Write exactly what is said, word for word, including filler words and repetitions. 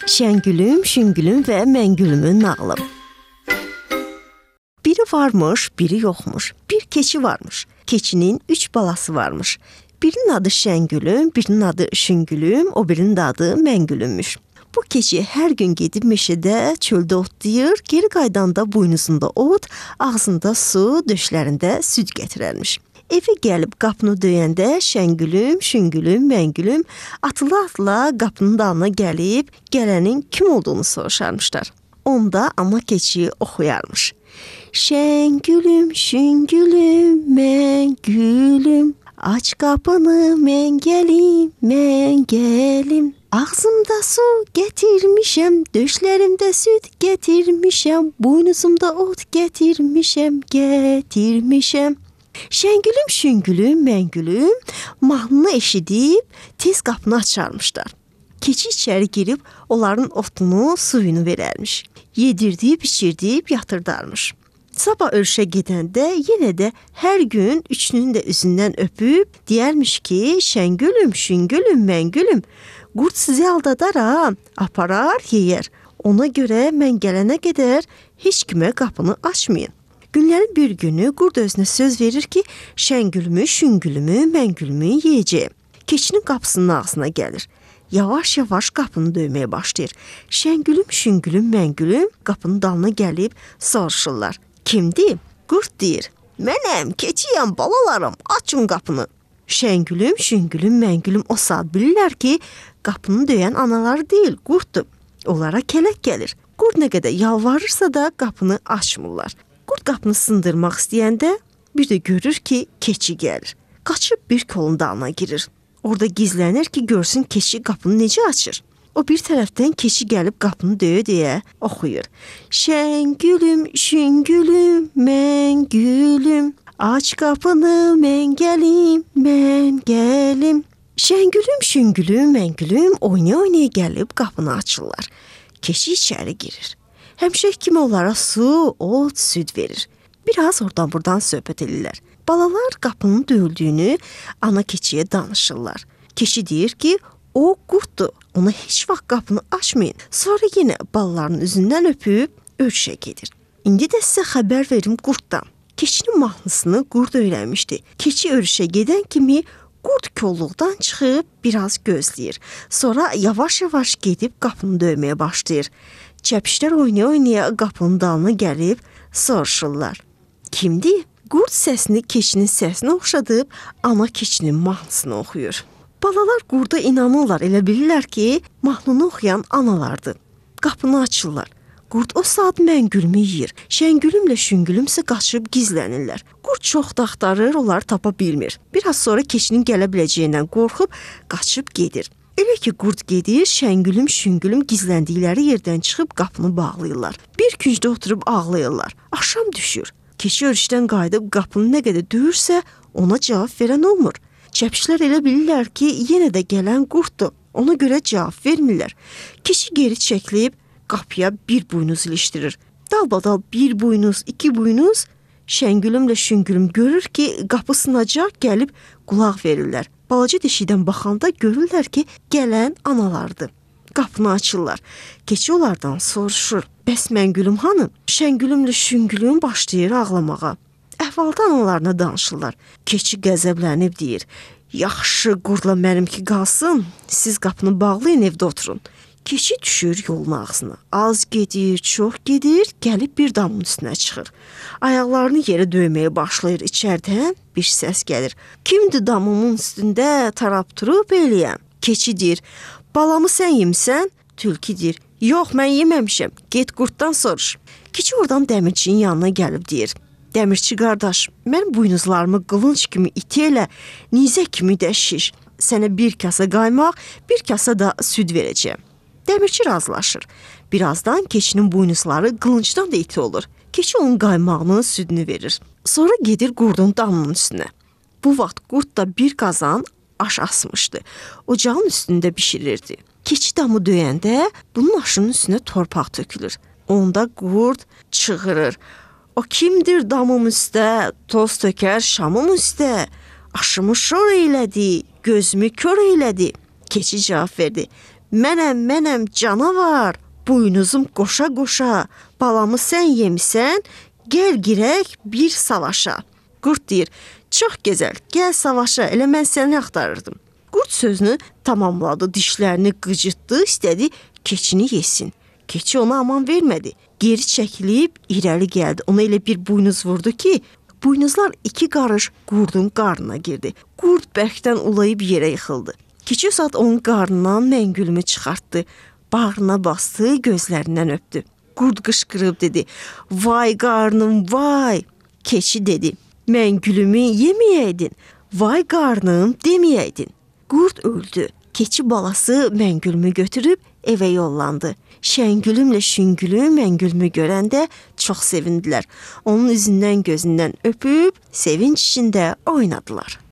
Şəngülüm, Şüngülüm və Məngülümün nağılı. Biri varmış, biri yoxmuş. Bir keçi varmış. Keçinin üç balası varmış. Birinin adı Şəngülüm, birinin adı Şüngülüm, o birinin adı Məngülümmüş. Bu keçi hər gün gedib meşədə, çöldə otlayır, geri qaydanda buynuzunda ot, ağzında su, döşlərində süd gətirərmiş. Evə gəlib qapını döyəndə Şəngülüm, Şüngülüm, Məngülüm atıla-atıla qapının dalına gəlib gələnin kim olduğunu soruşarmışlar. Onda ana keçi oxuyarmış. Şəngülüm, Şüngülüm, Məngülüm, aç qapını, mən gəlim, mən gəlim. Ağzımda su gətirmişəm, döşlərimdə süd gətirmişəm, buynuzumda ot gətirmişəm, gətirmişəm. Şəngülüm, Şüngülüm, Məngülüm mahnını eşidib tez qapını açarmışlar. Keçi içəri girib onların otunu, suyunu verərmiş. Yedirdib, içirdib yatırdarmış. Sabah örüşə gedəndə yenə də hər gün üçünün də üzündən öpüb deyərmiş ki, Şəngülüm, Şüngülüm, Məngülüm, qurd sizi aldadar ha, aparar, yeyər. Ona görə mən gələnə qədər heç kimə qapını açmayın. Günlərin bir günü qurd özünə söz verir ki, Şəngülümü, Şüngülümü, Məngülümü yeyəcəyim. Keçinin qapısının ağzına gəlir. Yavaş-yavaş qapını döyməyə başlayır. Şəngülüm, Şüngülüm, Məngülüm qapının dalına gəlib soruşurlar. Kimdir? Qurd deyir. Mənəm, keçiyəm, balalarım, açın qapını. Şəngülüm, Şüngülüm, Məngülüm o saat bilirlər ki, qapını döyən anaları deyil, qurddur. Onlara kələk gəlir. Qurd nə qədər yalvarırsa da qapını açmırlar. Qurd qapını sındırmaq istəyəndə bir də görür ki, keçi gəlir. Qaçıb bir kolun dalına girir. Orada gizlənir ki, görsün keçi qapını necə açır. O bir tərəfdən keçi gəlib qapını döyə-döyə oxuyur. Şəngülüm, Şüngülüm, Məngülüm, aç qapını, mən gəlim, mən gəlim. Şəngülüm, Şüngülüm, Məngülüm oynaya-oynaya gəlib qapını açırlar. Keçi içəri girir. Həmişə kimi onlara su, ot, süd verir. Biraz oradan buradan söhbət edirlər. Balalar qapının döyüldüyünü ana keçiyə danışırlar. Keçi deyir ki, o qurddur, ona heç vaxt qapını açmayın. Sonra yenə balaların üzündən öpüb örüşə gedir. İndi də sizə xəbər verim qurddan. Keçinin mahnısını qurd öyrənmişdi. Keçi örüşə gedən kimi qurd kolluqdan çıxıb biraz gözləyir. Sonra yavaş-yavaş gedib qapını döyməyə başlayır. Çəpişlər oynaya-oynaya qapının dalına gəlib soruşurlar. Kimdir? Qurd səsini keçinin səsinə oxşadıb ana keçinin mahnısını oxuyur. Balalar qurda inanırlar, elə bilirlər ki, mahnını oxuyan analardır. Qapını açırlar. Qurd o saat Məngülümü yeyir. Şəngülümlə Şüngülümsə qaçıb gizlənirlər. Qurd çox da axtarır, onları tapa bilmir. Biraz sonra keçinin gələ biləcəyindən qorxub qaçıb gedir. Elə ki, qurd gedir, Şəngülüm, Şüngülüm gizləndikləri yerdən çıxıb qapını bağlayırlar. Bir küncdə oturub ağlayırlar. Axşam düşür. Keçi örüşdən qayıdıb qapını nə qədər döyürsə, ona cavab verən olmur. Çəpişlər elə bilirlər ki, yenə də gələn qurddur. Ona görə cavab vermirlər. Keçi geri çəkilib qapıya bir buynuz ilişdirir. Dalbadal bir buynuz, iki buynuz. Şəngülümlə Şüngülüm görür ki, qapı sınacaq, gəlib qulaq verirlər. Balaca deşikdən baxanda görürlər ki, gələn analardır. Qapını açırlar. Keçi onlardan soruşur. Bəs Məngülüm hanı? Şəngülümlə Şüngülüm başlayır ağlamağa. Əhvaldan analarına danışırlar. Keçi qəzəblənib deyir. Yaxşı qurdla mənimki qalsın, siz qapını bağlayın, evdə oturun. Keçi düşür yolun ağzına. Az gedir, çox gedir, gəlib bir damın üstünə çıxır. Ayaqlarını yerə döyməyə başlayır. İçərdən bir səs gəlir. Kimdir damımın üstündə tarap turub eləyəm? Keçi deyir, balamı sən yemisən? Tülkü deyir, yox mən yeməmişəm, get qurddan soruş. Keçi oradan dəmirçinin yanına gəlib deyir. Dəmirçi qardaş, mən buynuzlarımı qılınc kimi iti elə, nizə kimi də şiş. Sənə bir kasa qaymaq, bir kasa da süd verəcəyəm. Dəmirçi razılaşır. Birazdan keçinin buynuzları qılıncdan da iti olur. Keçi onun qaymağını, südünü verir. Sonra gedir qurdun damının üstünə. Bu vaxt qurd da bir qazan aş asmışdı. Ocağın üstündə bişirirdi. Keçi damı döyəndə bunun aşının üstünə torpaq tökülür. Onda qurd çığırır. O kimdir damım üstə, toz tökər şamım üstə. Aşımı şor eylədi, gözümü kör eylədi. Keçi cavab verdi. Mənəm, mənəm canavar, buynuzum qoşa-qoşa, balamı sən yemisən, gəl girək bir savaşa. Qurd deyir, çox gözəl, gəl savaşa, elə mən səni axtarırdım. Qurd sözünü tamamladı, dişlərini qıcıtdı, istədi keçini yesin. Keçi ona aman vermədi. Geri çəkilib irəli gəldi. Ona elə bir buynuz vurdu ki, buynuzlar iki qarış qurdun qarnına girdi. Qurd bərkdən ulayıb yerə yıxıldı. Keçi saat onun qarnından məngülümü çıxartdı. Bağrına bastı, gözlərindən öpdü. Qurd qışqırıb dedi, vay qarnım, vay. Keçi dedi, məngülümü yeməyəydin, vay qarnım deməyəydin. Qurd öldü. Keçi balası məngülümü götürüb evə yollandı. Şəngülümlə şüngülüm məngülümü görəndə çox sevindilər. Onun üzündən gözündən öpüb, sevinç içində oynadılar.